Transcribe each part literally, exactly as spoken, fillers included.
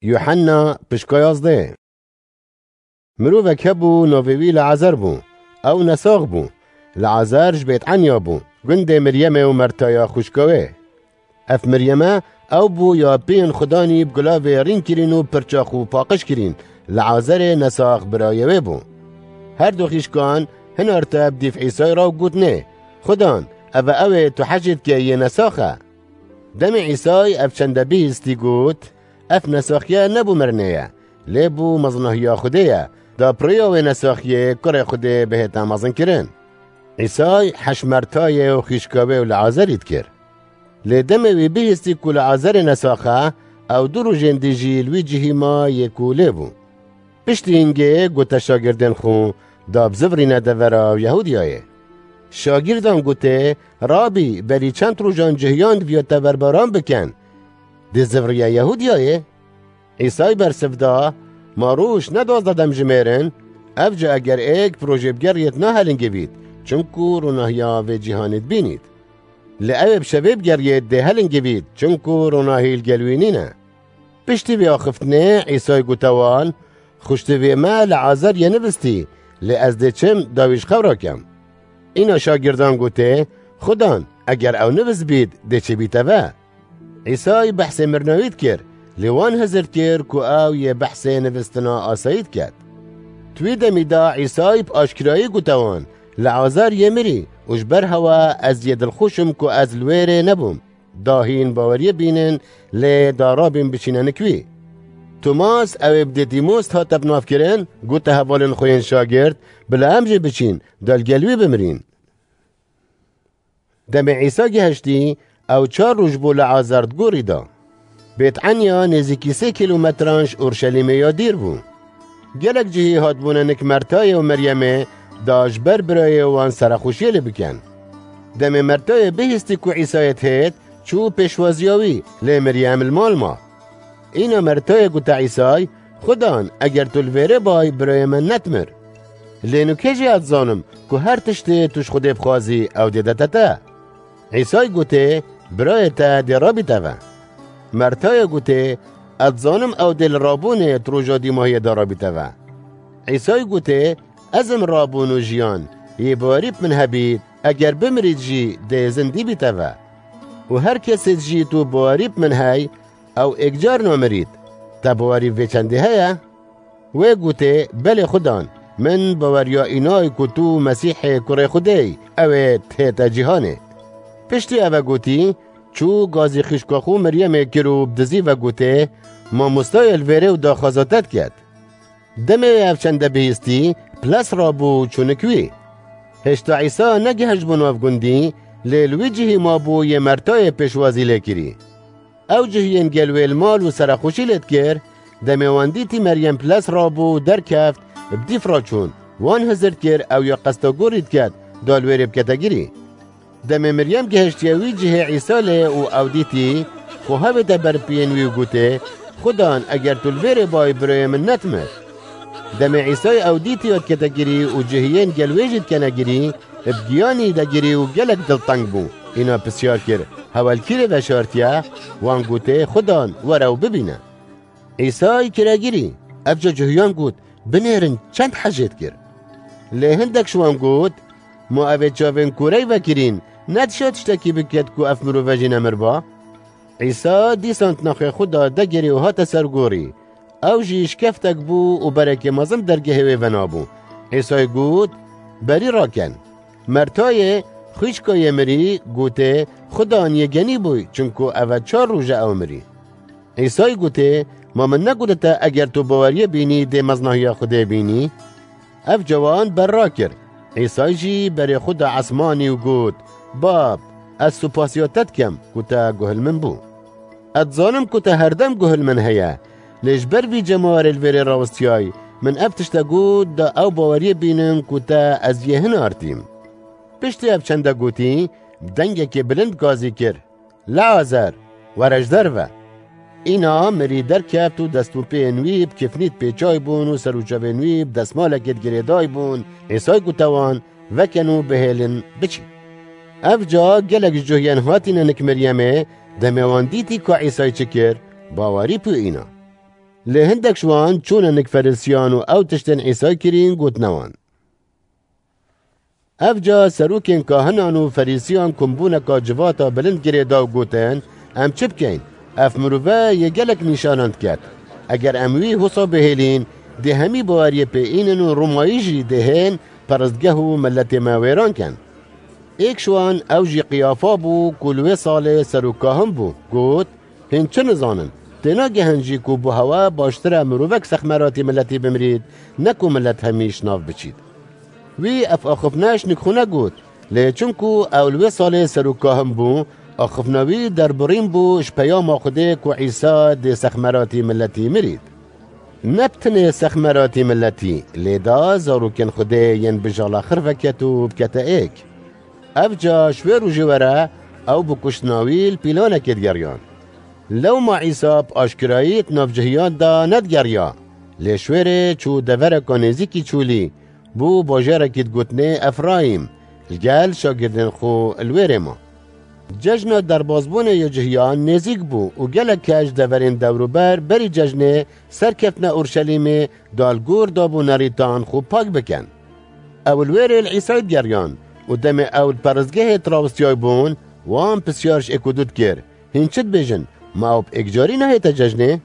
Yuhanna pişka yazdeh. Mirovek hebû, navê wî Leazer bû. Ew nesax bû. Leazer ji Bêtenya bû, gundê Miryemê û Mertaya xwişka wê. Ev Miryeme ew bû ya pêyên Xudanî bi gulavê rîn kirîn û pirçax û paqij kirîn. Leazerê nesax birayê wê bû. Her du xîşkan hinarte bi dîf Îsay re û gotinê, Xudan, ev e ew ê tu hejê dike yê nesax e. Demê Îsay ev çende bihîstî got, Ev nesaxiye ne bo mirinê ye, lê bo mezinahiya Xwedê ye, da bi rêya wê nesaxiyê kurê Xwedê bihête mezinkirin. Îsay hej Mertayê û xîşka wê û Leazerî dikir. Lê demê wî bihîstî ku Leazerê nesax e, ew du rojên dî jî li wî cihî ma yê ku lê bû. Piştî hingê gote şagirdên xwe, da bizivirîne devera Yehûdiyayê. Şagirdan gotê, Rabî, berî çend rojan cihiyan diviya te berbaran bikin. Dê ziviriye Yehûdiyayê? Îsay bersiv da, Ma roj ne duwazdeh dem jimêrin? Ev ca eger êk bi rojê bigeriyêt nahelingivît, çinku ronahiya vê cîhanê dibînît. Lê ew ê bi şevê bigeriyêt dê helingivît, çinku ronahî li gel wî nîne. Piştî vê axiftinê Îsay gote wan, Xwiştivê me Leazer yê nivistî, lê ez dê çim da wî ji xew rakem. Îna şagirdan gotê, Xudan, eger ew nivist bît, dê çêbîte ve. Îsay behsê mirina wî dikir, lê wan hizir dikir ku ew yê behsê nivistina asayî diket. Di wî demî de Îsay bi aşkirayî gote wan, Leazer yê mirî û ji ber hewe ez yê dilxweş im ku ez li wê rê nebûm. Da hîn baweriyê bînin, lê da rabîn biçîne nik wî. Tomas, ew ê bi Dîdîmos hate binavkirin, gote hevalên xwe yên şagirt, Bila em jê biçîn, da li gel wî bimirîn. Demê Îsa gihiştî, ew çar roj bû Leazer di gorî de. Bêtenya nêzîkî sê kîlometran ji Orşelîmê ya dîr bû. Gelek cihî hatbûne nik Mertayê û Meryemê da ji ber birayê wan serexweşiyê lê bikin. Demê Mertayê bihîstî ku Îsayê dihêt, çû pêşwaziya wî, lê Meryem li mal ma. Îna Mertayê gote Îsay, Xudan, eger tu li vêrê bay, birayê min nedimir. Lê nûke jî ez dizanim ku her tiştê tu ji Xwedê bixwazî, ew dê dete te. Îsay gotê, Birayê te dê rabîte ve. Mertayê gotê, Ez dizanim ew dê li rabûnê di roja dîmahiyê de rabîte ve. Îsay gotê, Ez im rabûn û jiyan, yê bawerî bi min hebît, eger bimirît jî dê zindî bîte ve. Û her kesê jî tu bawerî bi min hey, ew êkcar namirît. Te bawerî vê çendê heye? Wê gotê, Belê Xudan, min baweriya înay ku tu Mesîhê kurê Xwedê yî, ew ê dihête cîhanê. Piştî eve gotî, çû gazî xîşka xwe Meryemê kir û bi dizî ve gotê, Mamostayê li vêrê û daxwaza te diket. Demê ev çende bihîstî, piles rabû û çû nik wî. Hêşta Îsa negihiştbû nav gundî, lê li wî cihî mabû yê Mertayê pêşwazî lê kirî. Ew cihiyên gel wê li mal û serexweşî lê dikir, demê wan dîtî Meryem piles rabû û derkeft, bi dîf re çûn, wan hizir dikir ew ya qesta gorî diket, da li wêrê bikete girî. Demê Meryem gihiştiye wî cihê Îsa lê û ew dîtî, xwe hevête ber piyên wî û gotê, Xudan, eger tu li vêrê bayî birayê min nedimir. Demê Îsayê ew dîtî ya dikete girî û cihiyên gel wê jî dikene girî, bi giyanî de girî û gelek dilteng bû. Îna pisyar kir, Hewe li kî rê veşartiye? Wan gotê, Xudan, were û bibîne. Îsay kire girî. Evca cihiyan got, Binêrin çend hejê dikir. Lê hindek ji wan got, Ma ev ê çavên korey vekirîn, nedişa tiştekî biket ku ev mirove jî nemir ba? Îsa dîsan di nexê xwe de degirî û hate ser gorî. Ew jî şikeftek bû û berekê mezin dergehê wê venabû. Îsay got, Berî raken. Mertayê, xwîşka yê mirî, gotê, Xudan, yê genî bûy, çinku ev e çar roj e ew mirî. Îsay gotê, Ma min negotite eger tu baweriyê bînî dê mezinahiya Xwedê bînî? Ev cawan ber rakir. Îsay jî berê xwe da esmanî û got, Bab, ez supasiya te dikim ku te guh li min bû. Ez dizanim ku te herdem guh li min heye, lê ji ber vî cemawerê li vêrê rawestiyay, min ev tişte got da ew baweriyê bînin ku te ez yê hinartîm. Piştî ev çende gotî, bi dengekê bilind gazî kir, Leazer, were ji derve! Îna mirî derkeft û dest û pêyên wî bi kifnî dipêçay bûn û ser û çavên wî bi destmalekê digirêday bûn. Îsay gote wan, Vekin û bihêlin biçin. Ev ca gelek ji cuhiyên hatîne nik Meryemê, demê wan dîtî ka Îsay çi kir, bawerî pû îna. Lê hindek ji wan çûne nik Ferîsiyan û ew tiştên Îsay kirîn gotine wan. Evca serokên kahinan û Ferîsiyan kombûneka civata bilind girê da û gotin, "Em çi bikeyn? Ev mirove yê gelek nîşanan diket. Eger em wî hosa bihêlîn, dê hemî baweriyê pê înin û Romayî jî dê hên peristgeh û miletê me wêran kin." Êk ji wan ew jî Qiyafa bû ku li wê salê serokkahin bû. Got, "Hîn çi nizanin? Tênagehin jî ku bo hewe baştir e mirovek sexmeratî miletî bimirît, ne ku milet hemî ji nav biçît." Wî ev axifne ji nik xwe negot, lê çunku ew li wê salê serokkahin bû, axifna wî derbirîn bû ji peyama Xwedê ku Îsa dê sexmeratî miletî mirît. Ne bi tinê sexmeratî miletî, lê da zarokên Xwedê yên bijala xir veket û bikete êk. Evca ji wê rojê were ew bi kuştina wî li pîlanekê digeriyan. Lewma Îsa bi aşkirayî di nav cihiyan de nedigeriya, lê ji wêrê çû devereka nêzîkî çolî, bû bajarekî digotinê Efrayîm, li gel şagirdên xwe li wêrê ma. Cejna derbazbûnê ya cihiyan nêzîk bû û gelek kes ji deverên dewrûber berî cejnê serkeftina Urşelîmê da li gor dabûnerîtan xwe pak bikin. Ew li wêrê li Îsayî digeriyan û demê ew li peristgehê dirawistiyay bûn, wan pisyar ji êk û du dikir, "Hîn çi dibêjin? Ma ew bi êkcarî nehête cejnê?"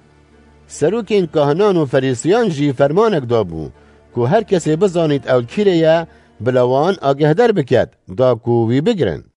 Serokên kahinan û Ferîsiyan jî fermanek dabû ku her kesê bizanît ew li kîrê ye, bila wan agehdar biket, da ku wî bigirin.